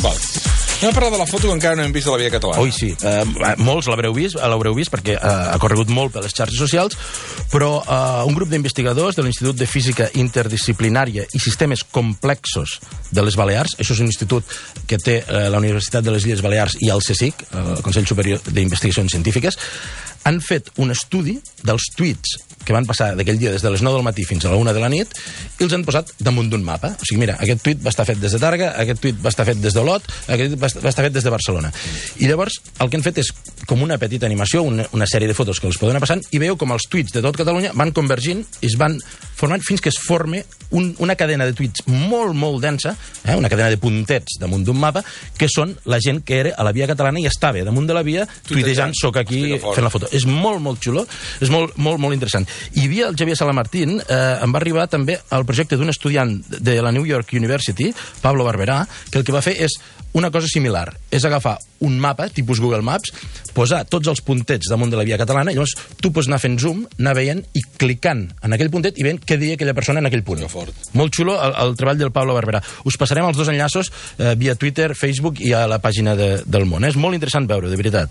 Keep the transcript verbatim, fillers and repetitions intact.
Val. Anem a parlar de la foto que encara no hem vist de la Via Catalana. Ui, sí. Uh, molts l'haureu vist, l'haureu vist perquè uh, ha corregut molt per les xarxes socials, però uh, un grup d'investigadors de l'Institut de Física Interdisciplinària i Sistemes Complexos de les Balears, això és un institut que té uh, la Universitat de les Illes Balears i el CSIC, el Consell Superior d'Investigacions Científiques, han fet un estudi dels tuits que van passar d'aquell dia des de les nou del matí fins a la una de la nit i els han posat damunt d'un mapa. O sigui, mira, aquest tuit va estar fet des de Tàrrega, aquest tuit va estar fet des d'Olot, aquest tuit va estar fet des de Barcelona. I llavors el que han fet és com una petita animació, una, una sèrie de fotos que els poden anar passant i veieu com els tuits de tot Catalunya van convergint i es van formant fins que es forme un, una cadena de tuits molt, molt densa, eh, una cadena de puntets damunt d'un mapa, que són la gent que era a la Via Catalana i estava damunt de la via tuitejant, soc aquí fent la foto. És molt, molt xulo, és molt, molt, molt interessant. Hi havia el Xavier Salamartín, eh, em va arribar també el projecte d'un estudiant de la New York University, Pablo Barberà, que el que va fer és una cosa similar, és agafar un mapa, tipus Google Maps, posar tots els puntets damunt de la Via Catalana, i llavors tu pots anar fent zoom, anar veient i clicant en aquell puntet i veient què deia aquella persona en aquell punt. Molt xulo el, el treball del Pablo Barberà. Us passarem els dos enllaços eh, via Twitter, Facebook i a la pàgina de, del Món. És molt interessant veure, de veritat.